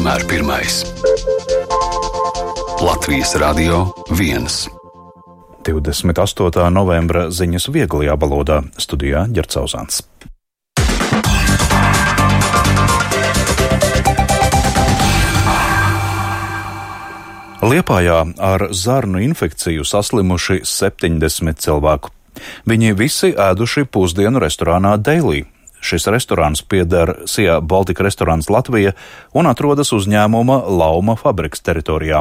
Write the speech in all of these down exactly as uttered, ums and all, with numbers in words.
vienmēr pirmais. Latvijas Radio viens. divdesmit astotā novembra ziņas vieglajā valodā, studijā Ģercauzāns. Liepājā ar zarnu infekciju saslimuši septiņdesmit cilvēku. Viņi visi ēduši pusdienu restorānā Daily. Šis restorāns pieder Sea Baltic Restaurants Latvija un atrodas uzņēmuma Lauma fabriks teritorijā.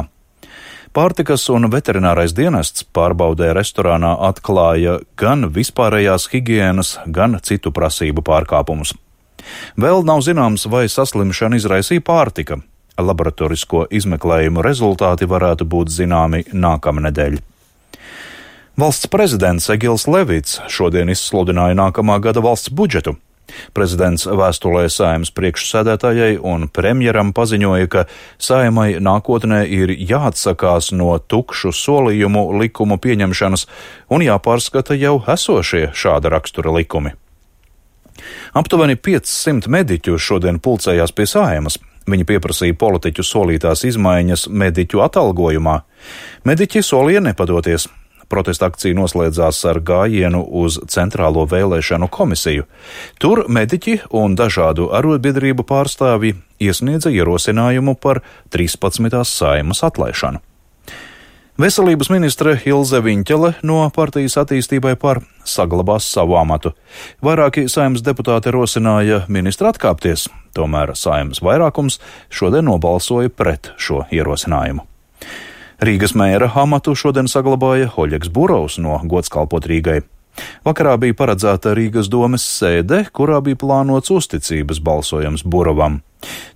Pārtikas un veterinārais dienests pārbaudē restorānā atklāja gan vispārējās higienas, gan citu prasību pārkāpumus. Vēl nav zināms, vai saslimšana izraisīja pārtika. Laboratorisko izmeklējumu rezultāti varētu būt zināmi nākamnedēļ. Valsts prezidents Egils Levits šodien izsludināja nākamā gada valsts budžetu. Prezidents vēstulē Saeimas priekšsēdētājai un premjeram paziņoja, ka Saeimai nākotnē ir jāatsakās no tukšu solījumu likumu pieņemšanas un jāpārskata jau esošie šāda rakstura likumi. Aptuveni piecsimt mediķu šodien pulcējās pie Saeimas. Viņi pieprasīja politiķu solītās izmaiņas mediķu atalgojumā. Mediķi solīja nepadoties. Protesta akcija noslēdzās ar gājienu uz Centrālo vēlēšanu komisiju. Tur mediķi un dažādu arotbiedrību pārstāvji iesniedza ierosinājumu par trīspadsmitās Saeimas atlaišanu. Veselības ministre Ilze Viņķele no partijas attīstībai par saglabās savu amatu. Vairāki Saeimas deputāti rosināja ministru atkāpties, tomēr Saeimas vairākums šodien nobalsoja pret šo ierosinājumu. Rīgas mēra amatu šodien saglabāja Oļegs Burovs no Gods kalpot Rīgai. Vakarā bija paredzēta Rīgas domes sēde, kurā bija plānots uzticības balsojums Burovam.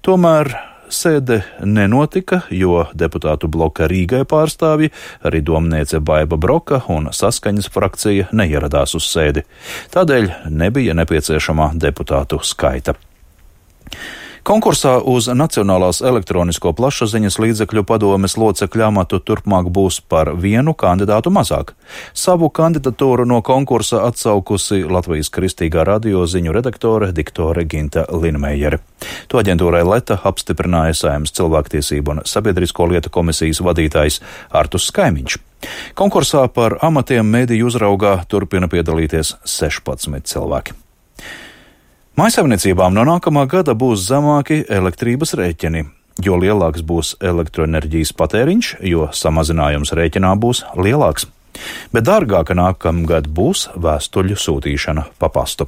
Tomēr sēde nenotika, jo deputātu bloka Rīgai pārstāvji, arī domniece Baiba Broka un Saskaņas frakcija neieradās uz sēdi. Tādēļ nebija nepieciešamā deputātu skaita. Konkursā uz Nacionālās elektronisko plašsaziņas līdzekļu padomes locekļu amatu turpmāk būs par vienu kandidātu mazāk. Savu kandidatūru no konkursa atsaukusi Latvijas Kristīgā radio ziņu redaktore diktore Ginta Linmejere. To aģentūrai Leta apstiprināja Saeimas cilvēktiesību un sabiedrisko lietu komisijas vadītājs Artus Skaimiņš. Konkursā par amatiem mediju uzraugā turpina piedalīties sešpadsmit cilvēki. Mājsaimniecībām no nākamā gada būs zemāki elektrības rēķini. Jo lielāks būs elektroenerģijas patēriņš, jo samazinājums rēķinā būs lielāks. Bet dārgāka nākamgad būs vēstuļu sūtīšana pa pastu.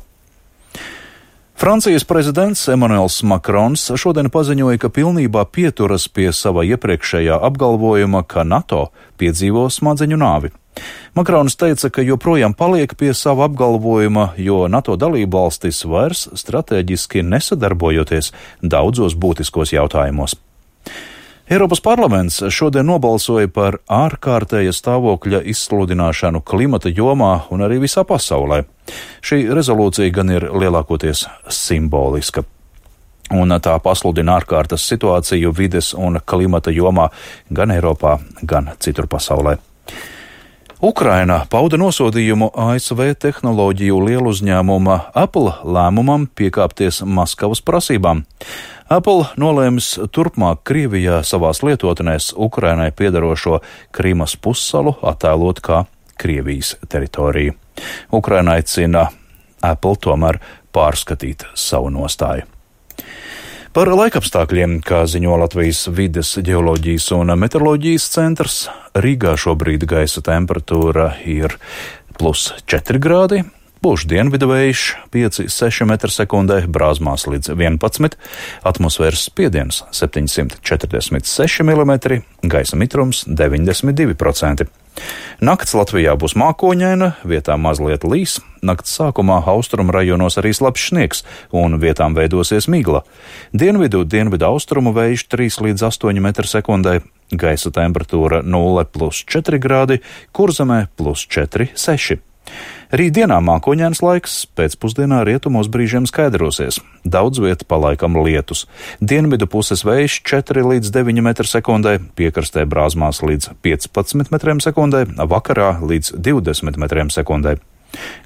Francijas prezidents Emmanuels Makrons šodien paziņoja, ka pilnībā pieturas pie sava iepriekšējā apgalvojuma, ka NATO piedzīvo smadzeņu nāvi. Makrons teica, ka joprojām paliek pie sava apgalvojuma, jo NATO dalībvalstis vairs strateģiski nesadarbojoties daudzos būtiskos jautājumos. Eiropas parlaments šodien nobalsoja par ārkārtēja stāvokļa izsludināšanu klimata jomā un arī visā pasaulē. Šī rezolūcija gan ir lielākoties simboliska. Un tā pasludina ārkārtas situāciju vides un klimata jomā gan Eiropā, gan citur pasaulē. Ukraina pauda nosodījumu A S V tehnoloģiju lieluzņēmuma Apple lēmumam piekāpties Maskavas prasībām. Apple nolēmis turpmāk Krievijā savās lietotnēs Ukrainai piederošo Krimas pussalu attēlot kā Krievijas teritoriju. Ukraina aicina Apple tomēr pārskatīt savu nostāju. Par laikapstākļiem, kā ziņo Latvijas vides, ģeoloģijas un meteoroloģijas centrs, Rīgā šobrīd gaisa temperatūra ir plus četri grādi, pūš dienvidu vējš pieci seši metri sekundē, Brāzmās līdz vienpadsmit, atmosfēras spiediens septiņsimt četrdesmit seši milimetri, gaisa mitrums deviņdesmit divi procenti. Nakts Latvijā būs mākoņaina, vietām mazliet līs, nakts sākumā austrumu rajonos arī slapjš sniegs un vietām veidosies migla. Dienvidu, dienvidu austrumu vējš trīs līdz astoņi metri sekundē, gaisa temperatūra nulle plus četri grādi, Kurzemē plus četri seši. Rītdienā mākoņains laiks, pēcpusdienā rietumos brīžiem skaidrosies. Daudz vieta palaikam lietus. Dienvidu puses vējš četri līdz deviņi metri sekundē, piekrastē Brāzmās līdz piecpadsmit metriem sekundē, vakarā līdz divdesmit metriem sekundē.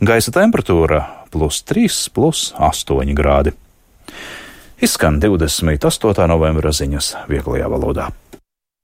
Gaisa temperatūra plus trīs, plus astoņi grādi. Izskan divdesmit astotā novembra ziņas vieglajā valodā.